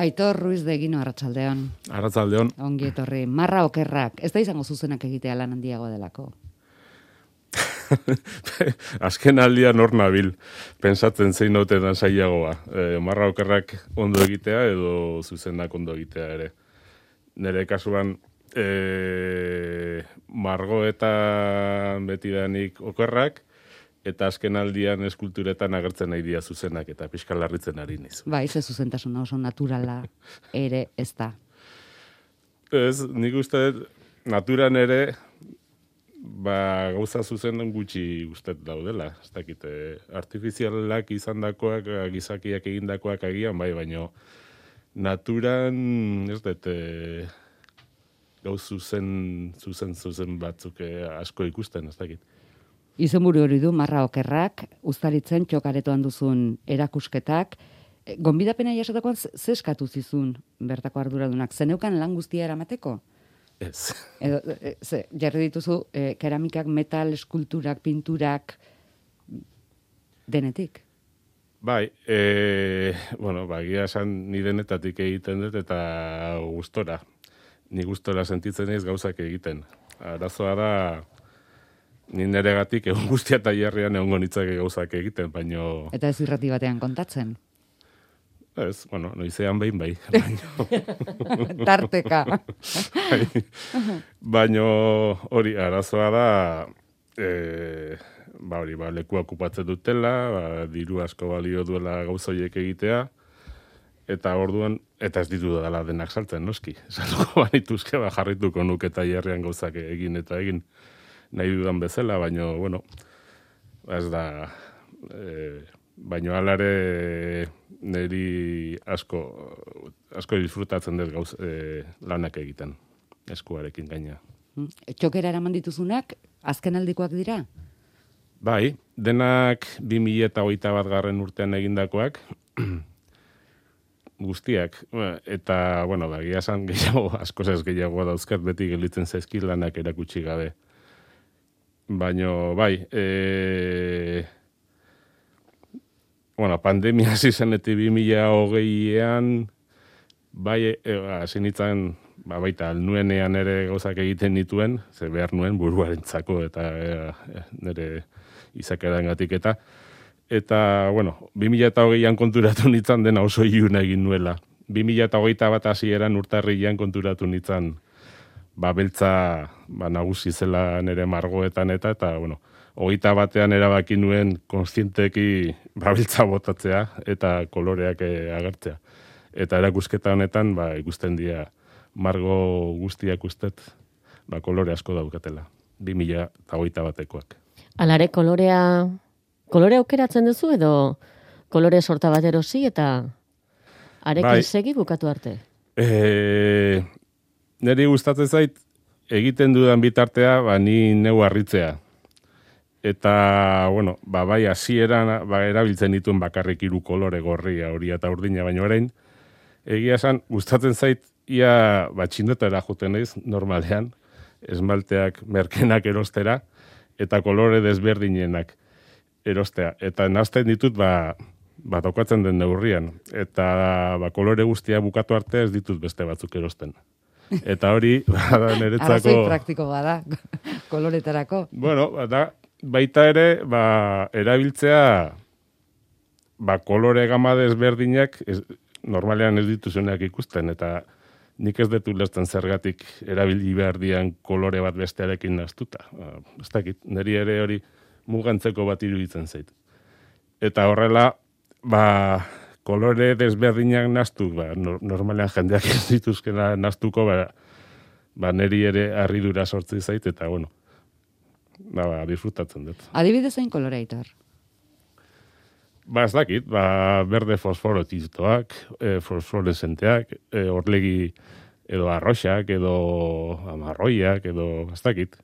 Aitor Ruiz de Egino, arratsaldeon. Arratsaldeon. Ongi etorri. Marra okerrak. Ez da izango zuzenak egitea lan handiago delako. Azken aldian hor nabil, pensatzen zein notetan zailagoa. Marra okerrak ondo egitea edo zuzenak ondo egitea ere. Nire kasuan, margoetan betidanik okerrak, eta azken aldian eskulturetan agertzen nahi dira zuzenak, eta pixka larritzen ari niz. Bai, ze zuzentasuna oso naturala ere ez da. Ez, nik uste naturan ere, gauza zuzenen gutxi ustet daudela. Ez dakit, artifizialak izandakoak, gizakiak egindakoak agian, bai, baino naturan, ez dut, gauz zuzen batzuk asko ikusten, ez dakit. Izenburu hori du, Marra okerrak, Uztaritzen txokaretoan duzun erakusketak. Gonbidapena jasotakoan ze eskatu zizun bertako arduradunak? Zeneukan lan guztia eramateko? Ez. Edo, jarri dituzu, keramikak, metal, eskulturak, pinturak, denetik? Bai, gira esan ni denetatik egiten dut eta gustora. Ni gustora sentitzen ez gauzak egiten. Arazoa da, ni neregatik egun guztia tailerrean egongo nitzake gauzak egiten, baino... Eta ez irrati batean kontatzen? Ez, noizean behin bai. Tarteka. Baino hori, arazoa da, lekua okupatzen dutela, diru asko balio duela gauzoiek egitea, eta orduan, eta ez ditu dela denak saltzen, noski. Saltuko banituzke, jarrituko nuke tailerrean gauzak egin eta egin nahi dudan bezala, baino, ez da, baino alare niri asko disfrutatzen dut gauz lanak egiten, eskuarekin gaina. Txokera eraman dituzunak, azken aldikoak dira? Bai, denak 2021 urtean egindakoak, guztiak, eta, egia esan gehiago, askoz ez gehiago dauzkat beti gelditzen zaizkit lanak erakutsi gabe. Baina, bai, pandemia hasi zenetik 2020an, bai, hasi nintzen, baita, alnuenean ere gauzak egiten nituen, ze behar nuen buruarentzako eta nire izakerangatik eta, 2020an konturatu nintzen dena oso iluna egin nuela. 2021 hasieran urtarrilean konturatu nintzen, beltza nagusi zela nire margoetan eta 21an erabaki nuen konstienteki beltza botatzea eta koloreak agertzea. Eta erakusketa honetan ikusten dira margo guztiak ustet kolore asko daukatela. 2021koak. Alare kolore aukeratzen duzu edo kolore sorta bat erosi eta arekin segi bukatu arte? Neri gustatzen zait, egiten dudan bitartea, ni neu harritzea. Eta, bai, hasieran erabiltzen dituen bakarrik 3 kolore, gorria, horia eta urdina, baino orain, egia esan, gustatzen zait, ia txindetara joten naiz, normalean, esmalteak merkenak erostera, eta kolore desberdinenak erostea. Eta nazten ditut, tokatzen den neurrian. Eta, kolore guztia bukatu arte ez ditut beste batzuk erosten. Eta hori, niretzako... Arrazoi praktiko bada, koloretarako. Baita ere, erabiltzea, kolore gama desberdinak, normalean ez dituzunak ikusten, eta nik ez dut ulertzen zergatik erabili behar dian kolore bat bestearekin naztuta. Ez dakit, niri ere hori mugantzeko bat iruditzen zait. Eta horrela, kolore desberdinak naztu, normalean jendeak ez dituzkena naztuko, niri ere harridura sortzi zait, eta disfrutatzen dut. Adibidez zein kolore, Aitor? Ez dakit, berde fosforotiztoak, fosforesenteak, orlegi edo arroxak, edo amarroiak, edo ez dakit.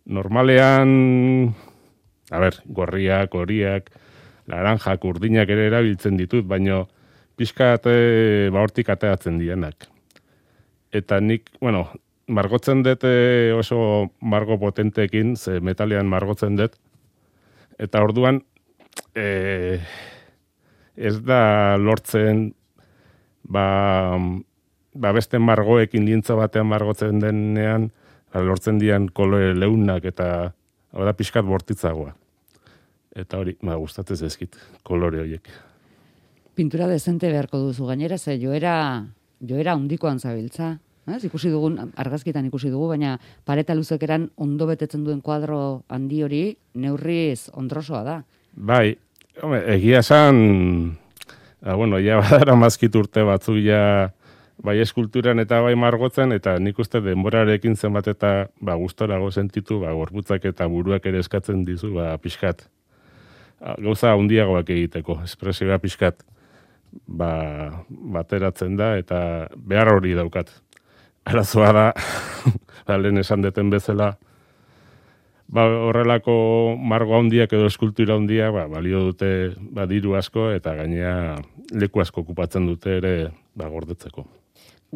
Normalean, gorriak, horiak, laranjak, urdinak ere erabiltzen ditut, baino pixkat hortik ateatzen dienak. Eta nik, margotzen dut oso margo potenteekin, ze metalean margotzen dut, eta orduan ez da lortzen beste margoekin lintza batean margotzen denean, lortzen dian kolore leunak eta da pixkat bortitzagoa. Eta hori, gustatzen ezkit, kolore horiek. Pintura dezente beharko duzu gainera, ze joera handikoan zabiltza. Ikusi dugun, argazkitan ikusi dugu, baina pareta luzekeran ondo betetzen duen kuadro handi hori neurriz ondrosoa da. Bai, egia esan, ja badara mazkit urte batzuk ja bai eskulturan eta bai margotzen, eta nik uste denborarekin zenbat eta gustorago sentitu, gorputzak eta buruak ere eskatzen dizu, pixkat. Gauza handiagoak egiteko, espresioa pixkat bateratzen da, eta behar hori daukat. Arazoa da, lehen esan deten bezala, horrelako margo handiak edo eskultura handia, balio dute diru asko, eta gainea leku asko okupatzen dute ere gordetzeko.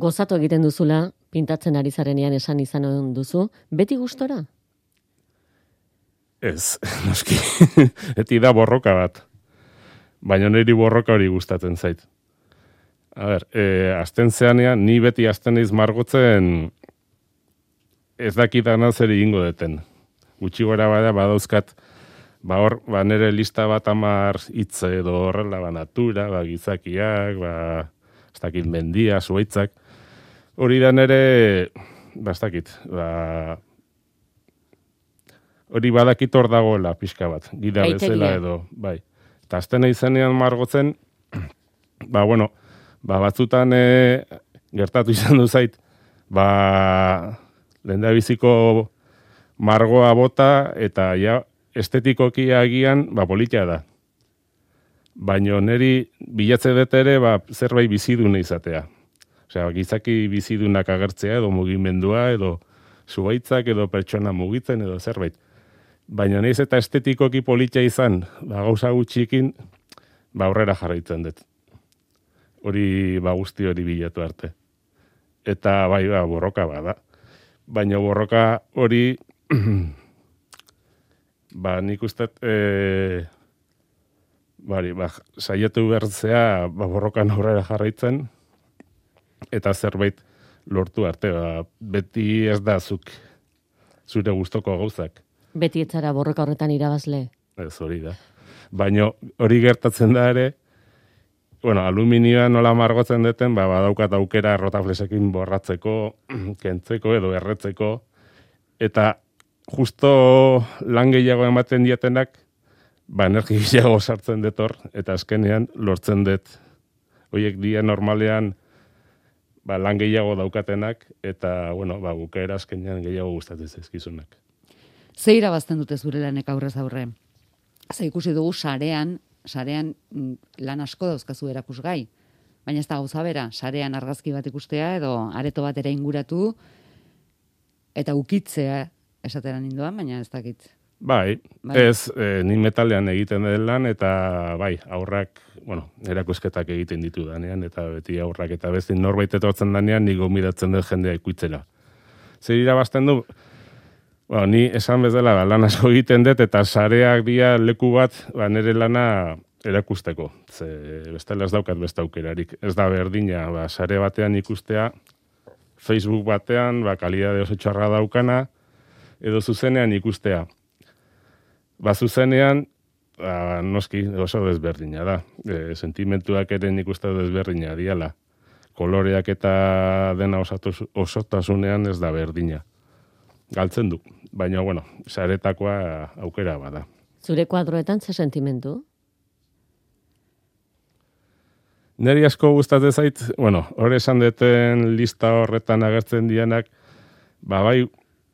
Gozatu egiten duzula, pintatzen ari zarenean esan izan duzu, beti gustora? Ez, noski, eti da borroka bat. Baina niri borroka hori gustatzen zait. Azten zeanean, ni beti azten eiz margotzen ez dakidana zer egingo deten. Gutxi gora badauzkat, nire lista bat 10 hitz edo horrela, natura, gizakiak, ez dakit mendia, zuaitzak. Hori da nire, ez dakit, hori badakit hor dagoela pixka bat, gida bezala edo, bai. Eta azten eizenean margotzen, batzutan gertatu izan du zait, lehendabiziko margoa bota eta ja estetikoki agian politia da. Baina niri bilatze dut ere zerbait biziduna izatea. Osea, gizaki bizidunak agertzea edo mugimendua edo zuaitzak edo pertsona mugitzen edo zerbait. Baina nahiz eta estetikoki politia izan, gauza gutxikin, aurrera jarraitzen dut. Hori guzti hori bilatu arte. Eta borroka bada. Baina borroka hori nik uste saiatu bertzea borrokan aurrera jarraitzen eta zerbait lortu arte. Beti ez da zure gustoko gauzak. Beti etzara borroka horretan irabazle. Ez hori da. Baina hori gertatzen da ere, aluminioa nola margotzen duten, badaukat aukera rotaflesekin borratzeko, kentzeko edo erretzeko, eta justo lan gehiago ematen dietenak, energi gehiago sartzen detor, eta azkenean lortzen dut. Horiek dia normalean lan gehiago daukatenak, eta bukaera azkenean gehiago gustatzen zaizkizunak. Ze irabazten dute zure lanek aurrez aurre? Ze ikusi dugu sarean lan asko dauzkazu erakusgai. Baina ez da gauza bera, sarean argazki bat ikustea edo areto bat ere inguratu eta ukitzea esatera ninduan, baina ez dakit. Bai. Ez, ni metalean egiten den lan eta aurrak, erakusketak egiten ditu danean eta beti aurrak eta besti norbait etortzen danean ni gomidatzen dut jendea ikuitzela. Zer irabazten du? Ni esan bezala lan asko egiten dut eta sareak dira leku bat nire lana erakusteko. Bestela ez daukat beste aukerarik. Ez da berdina, sare batean ikustea, Facebook batean, kalidade oso txarra daukana, edo zuzenean ikustea. Zuzenean, noski oso desberdina da. Sentimentuak ere nik uste desberdina diala. Koloreak eta dena osotasunean ez da berdina. Galtzen du, baina, saretakoa aukera bada. Zure kuadroetan ze sentimentu? Neri asko gustatzen zait, hori esan duten lista horretan agertzen dianak,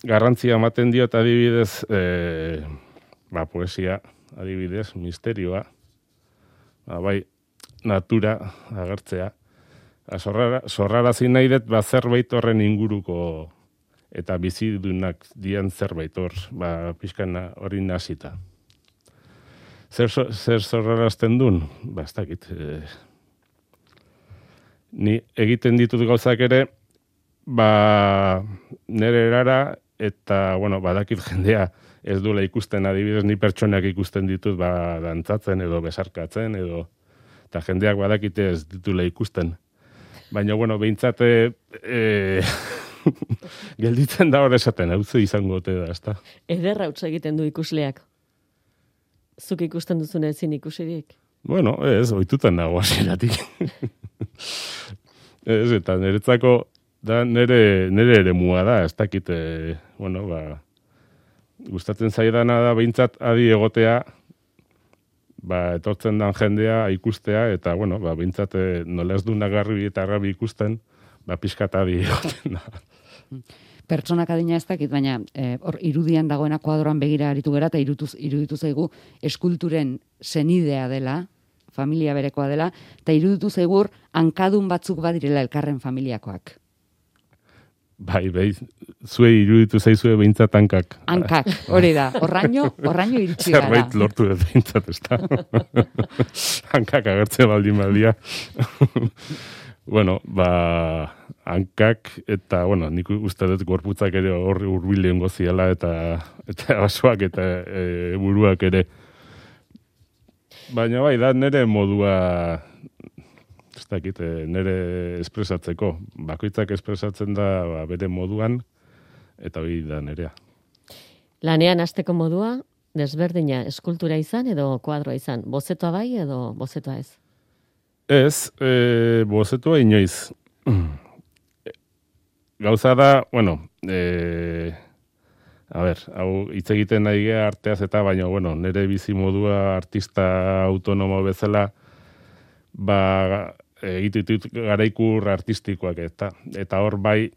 garrantzia ematen dio eta adibidez, poesia, adibidez, misterioa, natura agertzea. Zorrarazi nahi dut, zerbait horren inguruko eta bizidunak dian zerbait hor, pixkan hori nazita. Zer zorrarazten duen? Ez dakit. Ni egiten ditut gauzak ere, nire erara, eta, badakit jendea ez duela ikusten adibidez, ni pertsonak ikusten ditut, dantzatzen edo besarkatzen, eta jendeak badakite ez ditula ikusten. Baina, bueno, behintzate gelditzen da hor esaten, hau izango ote da, ezta? Ederra utz egiten du ikusleak. Zuk ikusten duzune ezin ikusirik. Bueno, ez, ohitutan dago hasieratik. Ez, eta niretzako da nere eremua da, ez dakit, bueno, gustatzen zaidana da behintzat adi egotea, etortzen dan jendea ikustea, eta, bueno, behintzat nola ez du nagarri eta garbi ikusten, pixkat adi egoten da. Pertsonak adina ez dakit, baina hor irudian dagoena kuadroan begira aritu gera, eta iruditu zaigu eskulturen senidea dela, familia berekoa dela, eta iruditu zaigur hankadun batzuk badirela elkarren familiakoak. Bai, zuei iruditu zaizue behintzat hankak. Hankak, hori da. Horraino iritsi gara. Zerbait lortu dut behintzat, ez da. Hankak agertze baldia. Bueno, hankak eta, bueno, nik uste dut gorputzak ere horri hurbilen goziala eta basoak eta buruak ere. Baina bai, da nire modua, ez dakit, nire espresatzeko. Bakoitzak espresatzen da bere moduan, eta hori da nirea. Lanean hasteko modua, desberdina, eskultura izan edo kuadroa izan? Bozetoa bai edo bozetoa ez? Ez, bozetoa inoiz. Gauza da, bueno, hau hitz egiten nahi gea arteaz eta baina, bueno, nire bizi modua artista autonomo bezala, egitutut garaikur artistikoak eta hor bai,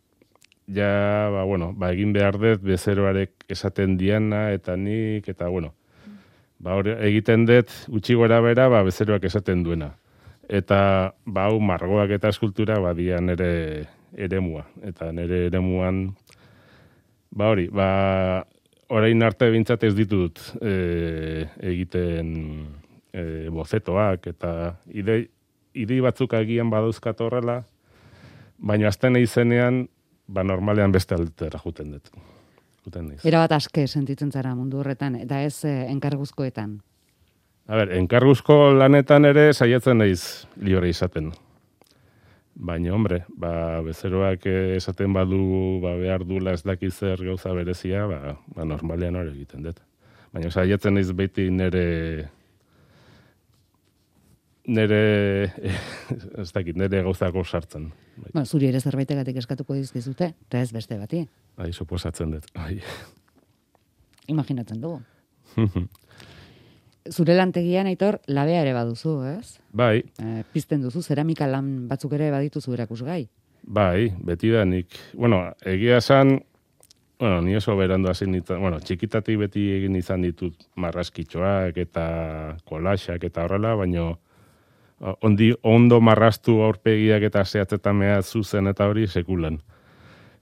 ja, egin behar dut bezeroarek esaten diana eta nik, eta, bueno, hor egiten dut utxi gora bera, bezeroak esaten duena. Eta, hau margoak eta eskultura, dia nire eremua. Eta nire eremuan, orain arte bintzat ez ditut egiten bozetoak, eta idei batzuk agian badauzkat horrela, baina azten izenean, normalean beste aldetera juten dut. Erabat aske sentitzen zara mundu horretan, eta ez enkarguzkoetan. Enkarguzko lanetan ere saiatzen naiz libre izaten. Baina, hombre, bezeroak esaten badu, behar dula ez dakiz zer gauza berezia, normalean hori egiten dut. Baina saiatzen naiz beti nire gauzako sartzen. Zuri ere zerbaitegatik eskatuko dizkizute, eta ez beste bati. Suposatzen dut. Imaginatzen dugu. Zure lantegian, Aitor, labea ere baduzu, ez? Bai. Pizten duzu, zeramika lan batzuk ere badituzu erakusgai. Bai, beti da nik. Egia esan, ni oso berandu hasi nintzen, txikitatik beti egin izan ditut marraskitxoak eta kolaxak eta horrela, baina ondo marrastu aurpegiak eta zehatzetan mea zuzen eta hori sekulan.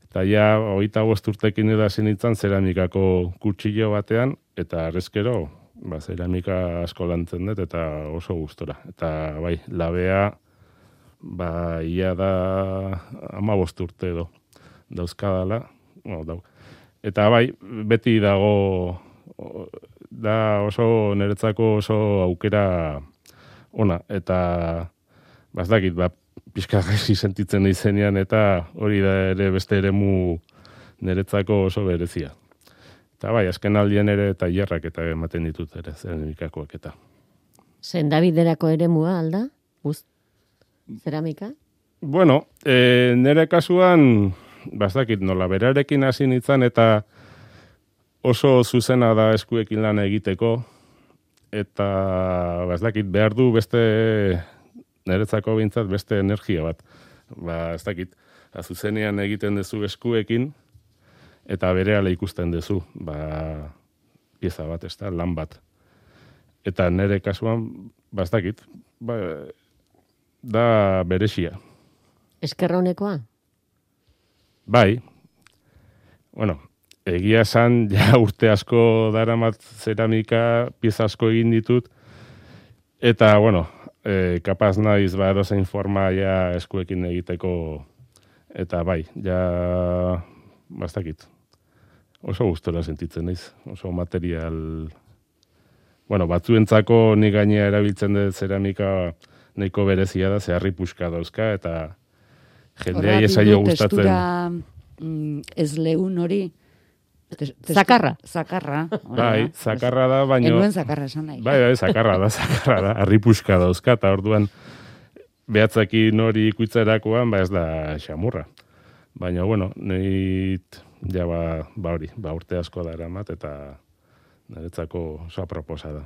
Eta ja, 25 urtekin edo hasi nintzen zeramikako kutsillo batean, eta arrezkero, zeramika asko lantzen dut, eta oso gustora. Eta bai, labea, ia da 15 urte edo dauzkadala. Eta bai, beti dago, da oso niretzako oso aukera ona, eta bazdakit, pixka gaizki sentitzen izenean, eta hori da ere beste eremu niretzako oso berezia. Eta bai, azken aldien ere eta jarrak eta ematen ditut ere, zeramikakoak eta. Sendabiderako eremua alda? Zeramika? Bueno, nire kasuan, bazdakit, nola berarekin hasi nintzen eta oso zuzena da eskuekin lan egiteko, eta bazdakit, behar du beste niretzako bintzat beste energia bat. Bazdakit, zuzenean egiten duzu eskuekin, eta berehala ikusten duzu, pieza bat, ez da, lan bat. Eta nire kasuan, bazdakit, da berexia. Eskerronekoa? Bai. Egia esan, ja urte asko daramat zeramika, pieza asko egin ditut, eta, kapaz naiz, edozein forma ja eskuekin egiteko, eta bai, ja, bastakit. Oso gustora sentitzen naiz, oso material. Batzuentzako nik gainea erabiltzen dut zeramika nahiko berezia da, zeharri puska dauzka, eta jendea esaio gustatzen. Testura ez lehun hori. Zakarra. Zakarra. Bai, zakarra da, baina... Enuen zakarra esan nahi. Bai, zakarra da. Arripuska dauzka, eta orduan behatzakin hori ikuitzerakoan, ez da xamurra. Baina, bueno, neit, ja, hori, urte asko da eramat, eta niretzako oso aproposa da.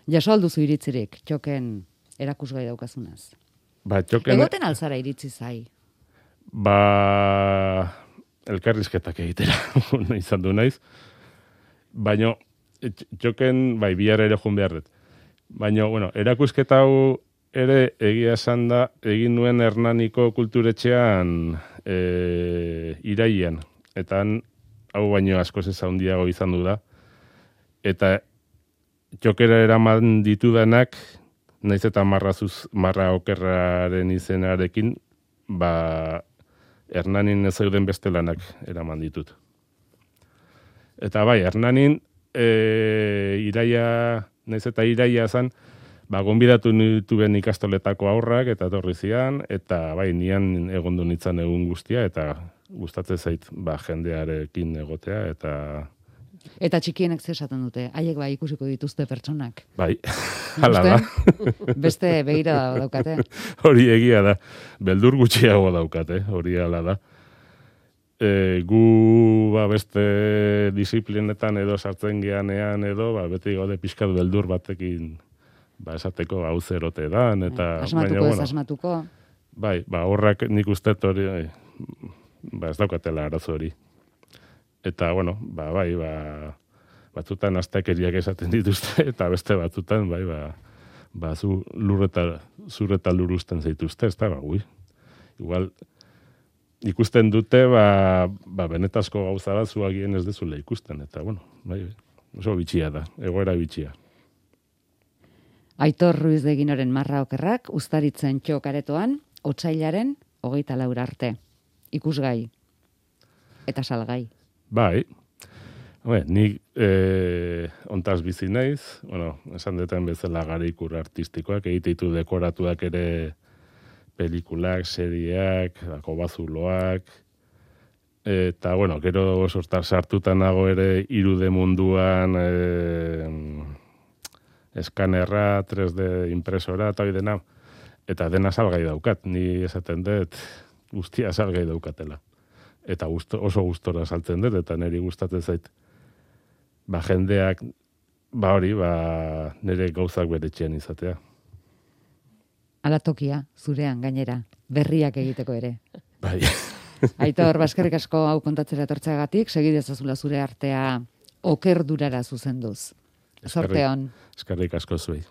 Jaso alduzu iritzirik, txoken erakusgai daukazunaz. Txoken... Egoten alzara iritzi zai. Elkarrizketak egitera izan du naiz. Baina, txoken, bihar ere joan behar dut. Baina, bueno, erakusketa hau ere egia esan da, egin nuen Hernaniko kulturetxean iraian. Eta hau baino askoz ez handiago izan du da. Eta txokera eraman ditudanak, naiz eta marra okerraren izenarekin, Hernanin ez zeuden beste lanak eraman ditut. Eta bai, Hernanin iraia, naiz eta iraia zan, gonbidatu nituen ikastoletako aurrak eta etorri zian, eta bai, nian egondu nintzen egun guztia, eta gustatzen zait jendearekin egotea, Eta txikienek zesaten dute, haiek bai ikusiko dituzte pertsonak. Bai, hala da. Beste begira daukate. Hori egia da, beldur gutxiago daukate, hori hala da. Gu beste disiplinetan edo sartzen geanean edo, beti gaude pixkat beldur batekin esateko hau zerote dan. Asmatuko ez asmatuko. Bai, horrak nik uste hori, ez daukatela arazo hori. Eta, bueno, batzutan astakeriak esaten dituzte, eta beste batzutan, zurreta luruzten zaituzte, ez da, igual, ikusten dute, benetazko gauza bat zuagien ez dezula ikusten, eta, bueno, oso bitxia da, egoera bitxia. Aitor Ruiz de Ginoren marra okerrak, Uztaritzen txokaretoan, otsailaren 24 arte. Ikusgai. Eta salgai. Bai, nik ontaz bizi naiz, esan deten bezala garikur artistikoak, egiteitu dekoratuak ere pelikulak, serieak, kobazuloak, eta, gero sortar sartutan nago ere irude munduan eskanerra, 3D impresora, eta hori dena, eta dena salgai daukat, ni esaten dut guztia salgai daukatela. Eta oso gustora saltzen dut, eta niri gustatzen zait. Jendeak, nire gauzak beretxean izatea. Ala tokia, zurean gainera, berriak egiteko ere. Bai. Aitor, eskerrik asko hau kontatzera etortzeagatik, segidezazula zure artea okerdurara zuzenduz. Zorte hon. Eskerrik asko zuei.